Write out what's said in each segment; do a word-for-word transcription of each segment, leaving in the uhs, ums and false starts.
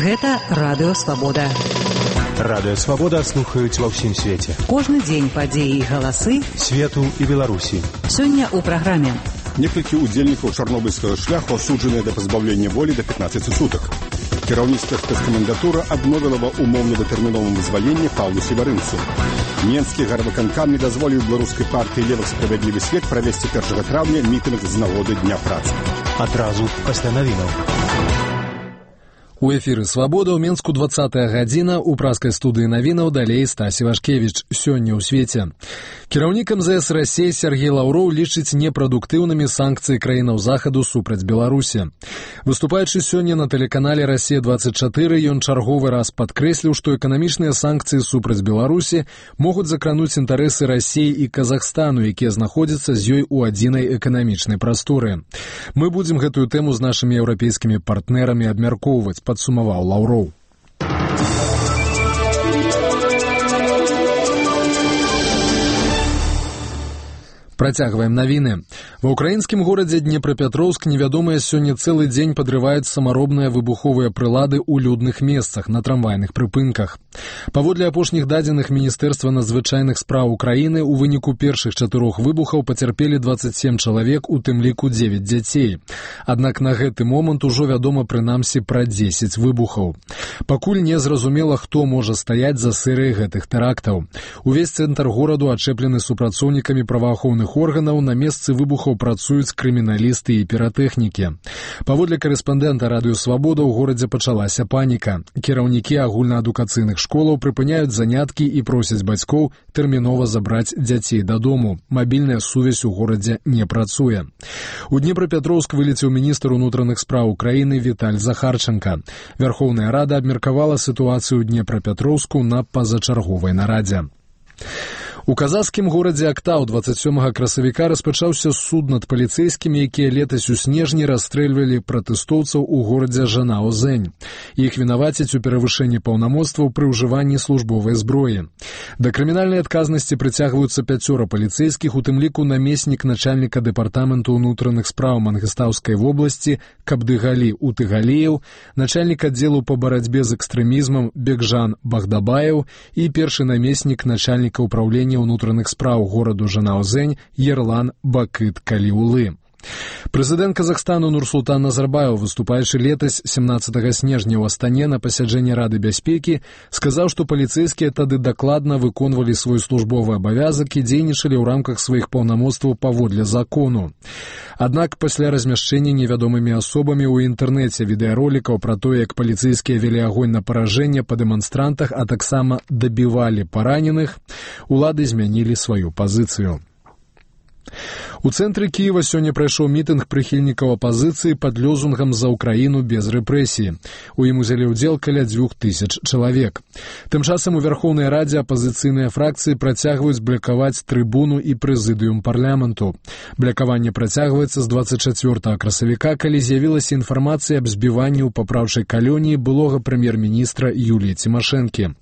Гэта Радыё Свабода. Радыё Свабода слухаюць ва ўсім свеце. Кожны дзень падзеі і галасы свету і Беларусі. Сёння ў праграме. Некалькі удзельнікаў чарнобыльскага шляху асуджаныя да пазбаўлення волі да пятнаццаці сутак. Кіраўніцтва спецкамендатура адмовіла ва умоўна-датэрміновым вызваленні Паўлу Севарынцу. Менскі гарвыканкам не дазволіў беларускай партыі «Левых справядлівы свет» правесці першага траўня мітынг з нагоды Дня працы. Адразу пасля навінаў. У эфіры «Свабода» ў Менску двадцатая гадзіна, у праскай студыі навінаў далей Стась Івашкевіч. Сёння ў свеце. Кіраўнік эм зэ эс Расіі Сергей Лаўроў лічыць непрадуктыўнымі санкцыі краінаў захаду супраць Беларусі. Выступаючы сёння на тэлеканале «Расія двадцать четыре», ён чарговы раз падкрэсліў, што эканамічныя санкцыі супраць Беларусі могуць закрануць інтарэсы Расіі і Казахстану, якія знаходзяцца з ёй у адзінай эканамічнай прасторы. Мы будзем гэтую тэму з нашымі еўрапейскімі партнерамі абмяркоўваць, падсумаваў Лаўроў. Працягваем навіны. Ва ўкраінскім горадзе Днепрапетроўск невядомыя сёння цэлы дзень падрываюць самаробныя выбуховыя прылады ў людных месцах на трамвайных прыпынках. Паводле апошніх дадзеных Міністэрства надзвычайных спраў Украіны, у выніку першых чатырох выбухаў пацярпелі дваццаць сем чалавек, у тым ліку дзевяць дзяцей. Аднак на гэты момант ужо вядома прынамсі пра дзесяць выбухаў. Пакуль не зразумела, хто можа стаяць за серыяй гэтых тэрактаў. Увесь цэнтр гораду ачэплены супрацоўнікамі праваахоўных органаў, на месцы выбухаў працуюць крыміналісты і піратэхнікі. Паводле карэспандэнта Радыё Свабода ў горадзе пачалася паніка. Кіраўнікі агульнаадукацыйных школаў прыпыняюць заняткі і просяць бацькоў тэрмінова забраць дзяцей дадому. Мабільная сувязь у горадзе не працуе. У Днепрапетроўск вылецеў міністр унутраных спраў Украіны Віталь Захарченка. Вярхоўная Рада абмеркавала сітуацыю ў Днепрапетроўску на пазачарговай нарадзе. У казахскім горадзе Актау дваццаць сёмага красавіка распачаўся суд над паліцэйскімі, якія летась у снежні расстрэльвалі пратэстоўцаў у горадзе Жанао-Зэнь. Іх вінавацяць у перавышэнні паўнамоцтваў пры ўжыванні службовай зброі. Да крымінальнай адказнасці прыцягваюцца пяцёра паліцэйскіх, у тым ліку намеснік начальніка дэпартаменту ўнутраных спраў Мангістаўскай вобласці Кабдыгалі Утыгалеев, начальнік аддзелу па барацьбе з экстрэмізмам Бекжан Багдабаев і першы намеснік начальніка ўпраўлення ўнутраных спраў гораду Жанао-Зэнь Ерлан Бакыт Каліулы. Прэзідэнт Казахстану Нурсултан Назарбаев, выступаючы летась семнаццатага снежня ў Астане на пасяджэнні Рады бяспекі, сказаў, што паліцэйскія тады дакладна выконвалі свой службовы абавязак і дзейнічалі ў рамках сваіх паўнамоцтваў паводле закону. Аднак пасля размяшчэння невядомымі асобамі ў інтэрнэце відэаролікаў пра тое, як паліцэйскія вялі агонь на паражэнне па дэманстрантах, а таксама дабівалі параненых, улады змянілі сваю пазіцыю. У цэнтры Кіева сёння прайшоў мітынг прыхільнікаў апазіцыі пад лёзунгам «За Украіну без рэпрэсій». У ім узялі ўдзел каля дзвюх тысяч чалавек. Тым часам у Вярхоўнай Радзе апазіцыйныя фракцыі працягваюць блакаваць трыбуну і прэзідыум парламенту. Блакаванне працягваецца з дваццаць чацвёртага красавіка, калі з'явілася інфармацыя аб збіванні ў папраўчай калоніі былога прэм'ер-міністра Юліі Цімашэнкі.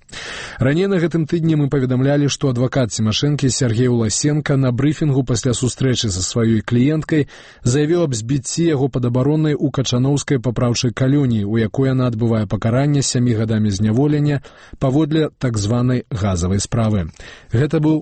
Раней на гэтым тыдні мы паведамлялі, што адвакат Цімашэнкі Сергей Уласенка на брыфінгу пасля сустрэчы са сваёй кліенткай заявіў аб збіцці яго падабароннай у Качаноўскай папраўчай калоніі, у якой яна адбывае пакаранне сямі гадамі зняволення паводле так званай газавай справы. Гэта быў